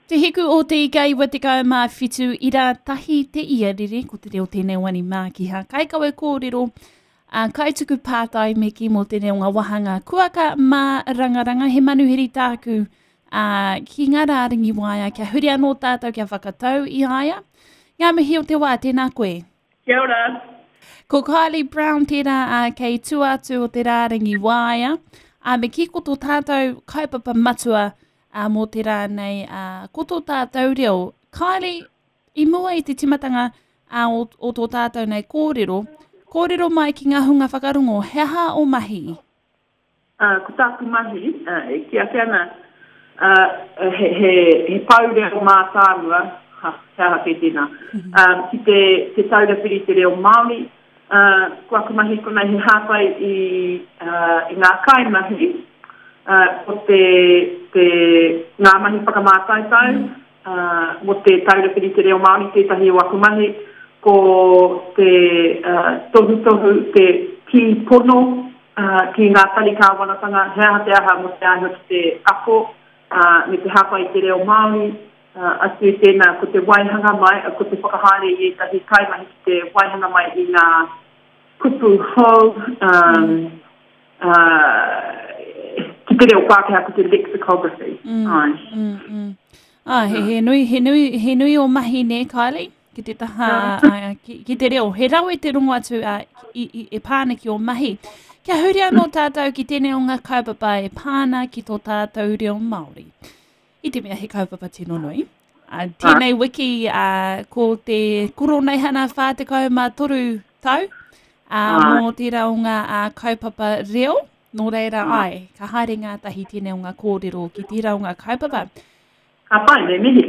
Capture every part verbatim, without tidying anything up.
Te hiku o te ika iwa tekau mā whitu ira tahi te iarere, ko te reo tēnei wani mākiha. Kaikawe kōrero, a kaituku pātai me ki mō tēnei o ngā wāhanga kuaka mā rangaranga, he manuhiri tāku a, ki ngā rārangi waea, kia huri anō tātou kia whakatau i aia. Ngā mihi o te wā, tēnā koe. Kia ora. Ko Kylie Brown tērā a, kei tua atu o te rārangi waea. A, me ki ko tō tātou kaupapa matua a, mō te rā nei, a, ko tō tātou reo. Kylie, i mua i te timatanga a, o, o tō tātou nei kōrero, kōrero mai ki ngā hunga whakarongo, he aha o mahi? Uh, ko tāku mahi, uh, e ki ake ana, uh, he, he, he pou reo mātāmua, ha, he aha kei tēnā, um, ki te, te taura whiri te reo Māori, uh, ko aku mahi konei he hāpai i, uh, i ngā kaimahi, uh, ko te, te, ngā mahi whakamātautau, uh, mō te taura whiri te reo Māori tētahi o aku mahi, ko te uh, tohutohu, te kī pono uh, ki ngā tari kāwanatanga, he aha te aha mō te āhua ki te ako, uh, me te hāpai i te reo Māori, uh, atu i tēnā, ko te waihanga mai, ko te whakahaere i ētahi kaimahi ki te waihanga mai i ngā kupu hou, um, uh, ki te reo Pākehā, ko te lexicography. Mm, Ai. mm, mm. Ah, he, he, nui, he, nui, he nui o mahi nē, Kylie, ki te taha, uh, ki, ki te reo. He rawe te rongo atu uh, i, i, e pāna ki o mahi. Kia huri anō tātou ki tēnei o ngā kaupapa e pāna ki tō tātou reo Māori. I te mea he kaupapa tino nui. Uh, tēnei wiki uh, ko te koroneihana whā tekau mā toru tau uh, mō tērā o ngā uh, kaupapa reo. Nō reira ai, ka haere ngātahi tēnei o ngā kōrero ki tērā o ngā kaupapa. Ka pai, me mihi.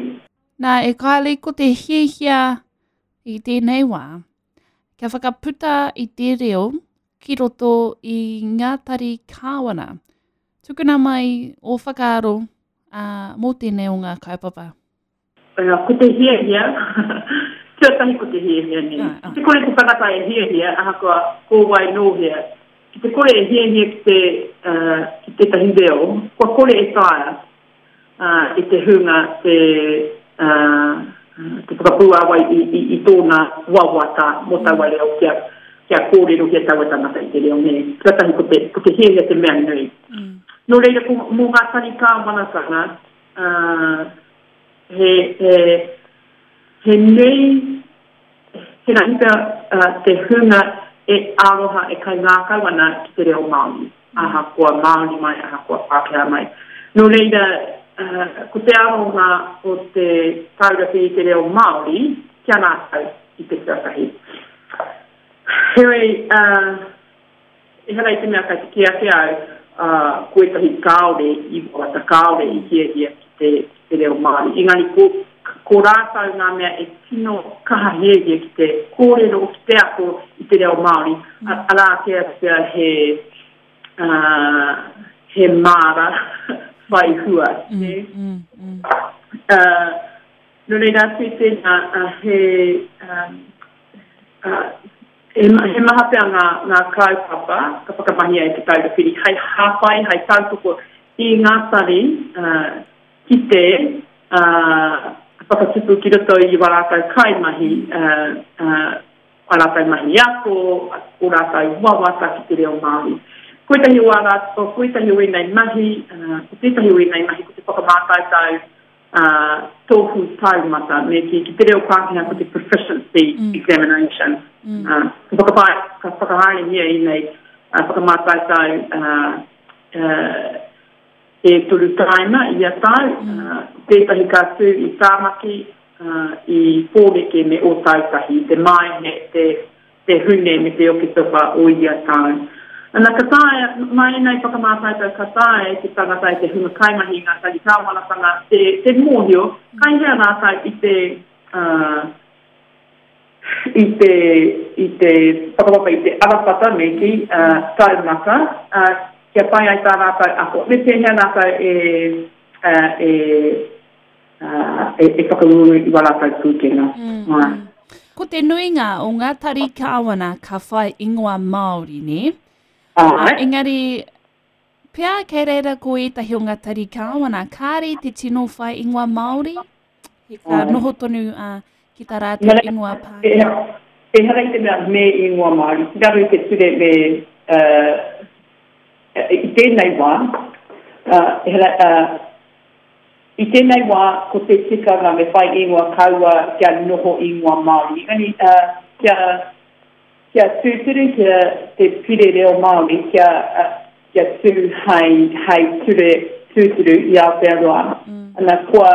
Nā, e Kylie, ko te hiahia i tēnei wā, kia whakaputa i te reo ki roto i ngā tari kāwana. Tukuna mai o whakaaro uh, mō tēnei o ngā kaupapa. Uh, ko te hiahia, tuatahi ko te hiahia nei. Ai, ai. Ki te kore te tangata e hiahia, ahakoa ko wai nō hea, ki te kore e hiahia ki te, uh, ki tētahi reo, kua kore e taea uh, i te hunga te, uh, te whakapūāwai i, i, i tōna wawata mō taua reo kia, kia kōrero kia taua tangata i te reo nei. Tuatahi ko te, ko te hiahia te mea nui. Mm. Nō reira, ko, mō ngā tari kāwanatanga, uh, he, he, he nui, he rahi pea uh, te hunga e aroha e kai ngākau ana ki te reo Māori, ahakoa Māori mai, ahakoa Pākehā mai. Nō reira, uh, ko te aronga o te taura whiri te reo Māori kia rātou i te tuatahi. Heoi, uh, ehara i te mea kai te kī ake au, uh, ko ētahi kāore i wawata, kāore i hiahia ki te, ki te reo Māori. Engari ko, ko rātou ngā mea e tino kaha hiahia ki te kōrero, ki te ako i te reo Māori. Mm. Arā ake pea he, uh, he māra whai hua. Mm, mm, mm. Uh, nō reira atu i tēnā, uh, he, um, uh, he, he maha pea ngā, ngā kaupapa ka whakamahia e te taura whiri hei hāpai, hei tautoko i ngā tari uh, ki te uh, whakatupu ki roto i wā rātou kaimahi, uh, uh, wā rātou mahi ako, o rātou wawata ki te reo Māori. Ko ētahi o ā rātou, ko ētahi o ēnei mahi, uh, ko tētahi o ēnei mahi ko te whakamātautau uh, tohu taumata, me ki, ki te reo Pākehā ko te proficiency Mm. examination. Mm. Uh, ka whakapae, ka whakahaerehia ēnei uh, whakamātautau uh, uh, e toru taima i a tau, uh, tētahi ka tū i Tāmaki, uh, i Pōneke me Ōtautahi, te Maehe, te, te Hune me te Oketopa o ia tau. Ana ka taea, mai ēnei whakamātautau ka taea e te tangata e te hunga kaimahi i ngā tari kāwanatanga, te, te mōhio, kai hea rātou i te, uh, i te, i te whakapapa i te arawhata me ki uh, taumata, uh, kia pai ai tā rātou ako. Me pēhea rātou e, uh, e, uh, e, e whakauru i wā rātou pūkenga. Mm, Ai. mm. Ko te nuinga o ngā tari kāwana ka whai ingoa Māori, nē? Ai. Engari, Pea kei reira ko ētahi o ngā tari kāwana, kāre te tino whai ingoa Māori, he ka noho tonu uh, ki tā rātou ingoa Pākehā. Ehara i te mea me ingoa Māori, ki raro i te ture me uh, i tēnei wā, uh, ehara, uh, i tēnei wā ko te tikanga me whai ingoa kaua kia noho ingoa Māori. Engari, uh, kia, kia tūturu, kia te pire reo Māori, kia, uh, kia tū hei, hei ture tūturu i Aotearoa. Mm. Ana, kua,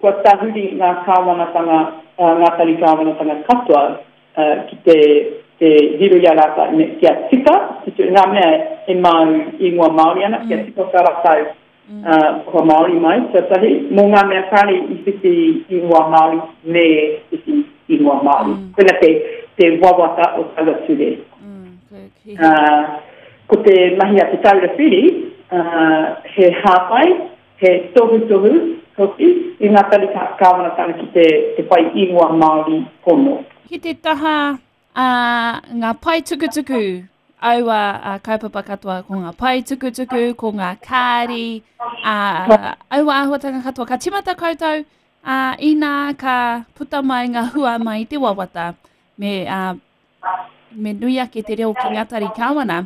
kua tahuri ngā kāwanatanga, uh, ngā tari kāwanatanga katoa uh, ki te, te riro i a rātou, me, kia tika, ki ngā mea e mau ingoa Māori ana, kia tika ka rātou mm. uh, kua Māori mai, tuatahi, mō ngā mea kāre i whiwhi ingoa Māori me whiwhi ingoa Māori. Mm. Koina te, te wawata o taua ture. Mm, okay. Uh, ko te mahi a Te Taura Whiri, uh, he hāpai, he tohutohu hoki i ngā tari kāwanatanga ki te, te whai ingoa Māori pono. Ki te taha uh, ngā pae tukutuku, aua uh, kaupapa katoa, ko ngā pae tukutuku, ko ngā kāri, uh, aua āhuatanga katoa. Ka timata koutou, uh, inā ka puta mai ngā hua mai te wawata, me, uh, me nui ake te reo ki ngā tari kāwana.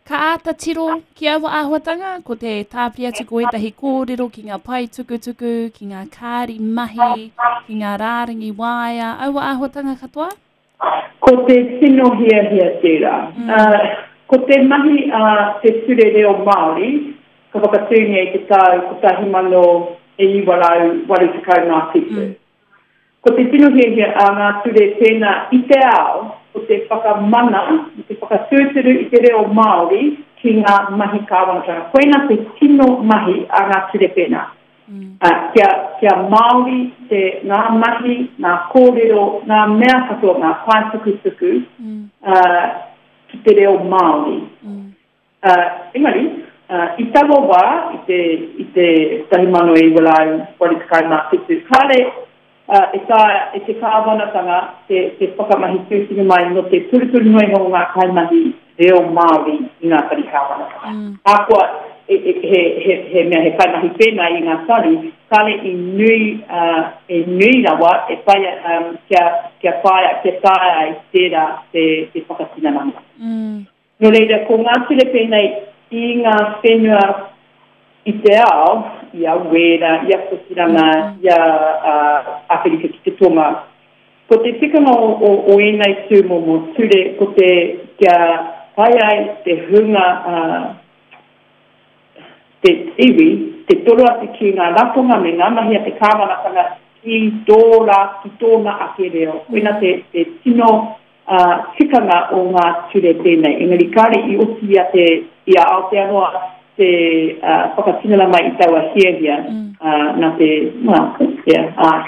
Ka āta tiro ki aua āhuatanga, ko te tāpiri atu ko ētahi kōrero ki ngā pae tukutuku, ki ngā kāri mahi, ki ngā rārangi waea, aua āhuatanga katoa? Ko te tino hiahia tērā. Mm. Uh, ko te mahi a uh, te ture reo Māori, ka whakatūngia i te tau kotahi mano e iwa rau waru tekau mā whitu. Mm. Ko te tino hiahia a ngā ture tēnā i te ao, ko te whakamana, te whakatūturu i te reo Māori ki ngā mahi kāwanatanga. Koina te tino mahi a ngā ture pēnā. Mm. Uh, kia, kia Māori te ngā mahi, ngā kōrero, ngā mea katoa, ngā pae tukutuku mm. uh, ki te reo Māori. Mm. Uh, engari, uh, i taua wā, i te, i te kotahi mano e iwa rau waru tekau mā whitu, kāre Uh, e taea e te kāwanatanga te, te whakamahi tūturu mai no te turuturu nui o ngā kaimahi reo Māori i ngā tari kāwanatanga. Mm. Ahakoa e, e, he, he, he mea he kaimahi pēnā i ngā tari, kāre i nui, uh, e nui rawa e whaia, um, kia, kia whaia, kia taea ai tērā te, te whakatinananga. Mm. Nō reira, ko ngā ture pēnei i ngā whenua i te ao, i a Wēra, i a Kotirana, i a uh, Awherika ki te Tonga. Ko te tikanga o, o, o ēnei tūmomo ture, ko te kia pai ai te hunga uh, te iwi, te toro atu ki ngā ratonga me ngā mahi a te kāwanatanga ki tō rā, ki tōna ake reo. Koina te, te tino uh, tikanga o ngā ture tēnei. Engari kāre i oti i a, te, i a Aotearoa te uh, whakatinana mai i taua hiahia mm. uh, nā te, well, yeah, uh,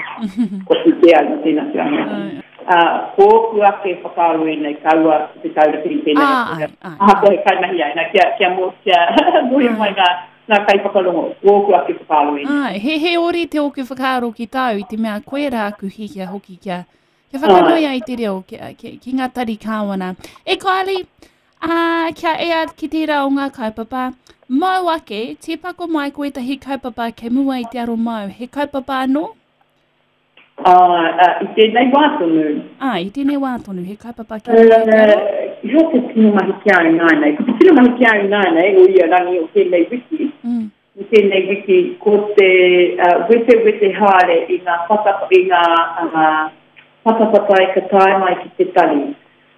ko te te au nā tēnā te āhuatanga. Uh, ko ōku ake whakaaro ēnei kaua Te Taura Whiri tēnei. Ah, ai, ai, Ahakoa he kaimahi ai, nā, kia, kia, mō, kia mōhio mai ngā, ngā kaiwhakarongo, ko ōku ake whakaaro ēnei. Ai, he, he ori te ōku whakaaro ki tāu, i te mea koe rā aku hiahia hoki kia, kia whakanui ai te reo ki, ki, ki ngā tari kāwana. E Kylie, uh, kia ea ki tērā o ngā kaupapa, mau ake, tīpako mai ko ētahi kaupapa kei mua i te aro mau. He kaupapa anō? Uh, uh, i tēnei wā tonu. Ah, i tēnei wā tonu, he kaupapa kei mua i te aro? Uh, he te tino mahi ki au nānei. Ko te tino mahi ki au nānei, o ia rangi o tēnei wiki, mm. o tēnei wiki, ko te uh, wete wete haere i ngā pata, i ngā uh, patapatai ka tae mai ki te tari.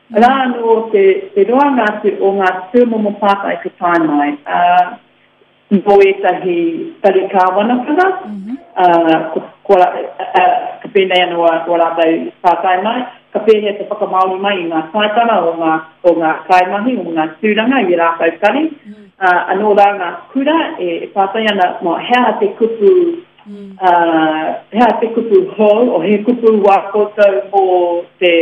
Rā anō te, te roanga atu o ngā tūmomo pātai ka tae mai, uh, mō ētahi tari kāwanatanga, mm -hmm. uh, ko, ko, uh, ka pēnei anō a, o rātou pātai mai, ka pēhea te whakamāori mai i ngā taitara o ngā, o ngā kaimahi, o ngā tūranga i rātou tari. Mm. Uh, anō rā ngā kura e, e pātai ana, mō, he aha te kupu, mm. uh, he aha te kupu hou, o he kupu wā koutou mō te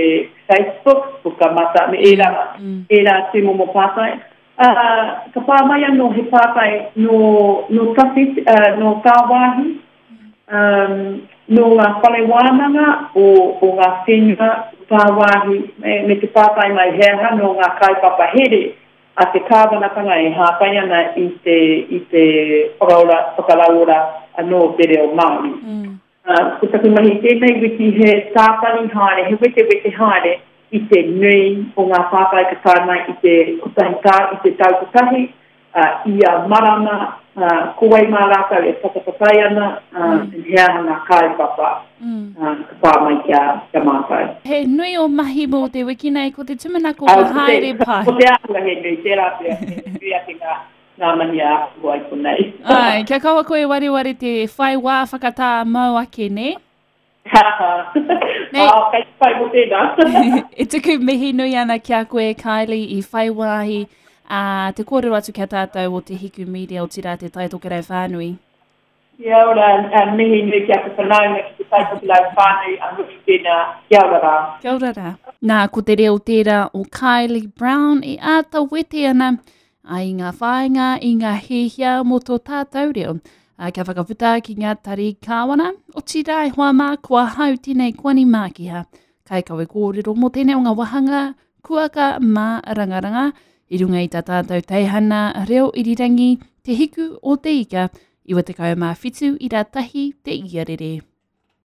Facebook, Pukamata, me ērā, mm. ērā tūmomo pātai. Uh, ka pā mai anō he pātai nō, nō tawhiti, uh, nō tāwāhi, um, nō ngā whare wānanga o, o ngā whenua tāwāhi, me, me te pātai mai he aha nō ngā kaupapa here a te kāwanatanga e hāpai ana i te, i te whakaora, whakarauora anō te reo Māori. Mm. Uh, ko taku mahi tēnei wiki he tātari haere, he wetewete haere i te nui o ngā pātai ka tae mai i te kotahi tā, i te tau kotahi, uh, ia marama, uh, ko wai mā rātou e patapatai ana, uh, mm. he aha ngā kaupapa mm. uh, ka pā mai kia, kia mātou. He nui o mahi mō te wiki nei, ko te tūmanako ka haere pai. Ko te āhua he nui, tērā pea, he nui ake ngā, ngā mahi a āhua i konei. Ai, kia kaua koe wareware te whai wā whakatā mau ake, ne? Ha ha. Nei. Ah, kei te pai mō tēnā. E tuku mihi nui ana ki a koe, Kylie, i whai wāhi a te kōrero atu kia tātou o te Hiku Media o tira te Tai Tokerau whānui. Kia ora, uh, mihi nui ki aku whanaunga ki te Tai Tokerau whānui, a mihi tēnā. Kia ora rā. Kia ora rā. Nā, ko te reo tērā o Kylie Brown e āta wete ana ai ngā whāinga i ngā hihia mō tō tātou reo. A, kia whakaputa ki ngā tari kāwana, o tira e hoa mā ko ahau tēnei Kuani Mākiha. Kai kawe kōrero mō tēnei o ngā wahanga kuaka mā rangaranga, i runga i tā tātou teihana reo irirangi, te hiku o te ika, iwa tekau mā whitu ira tahi te iarere.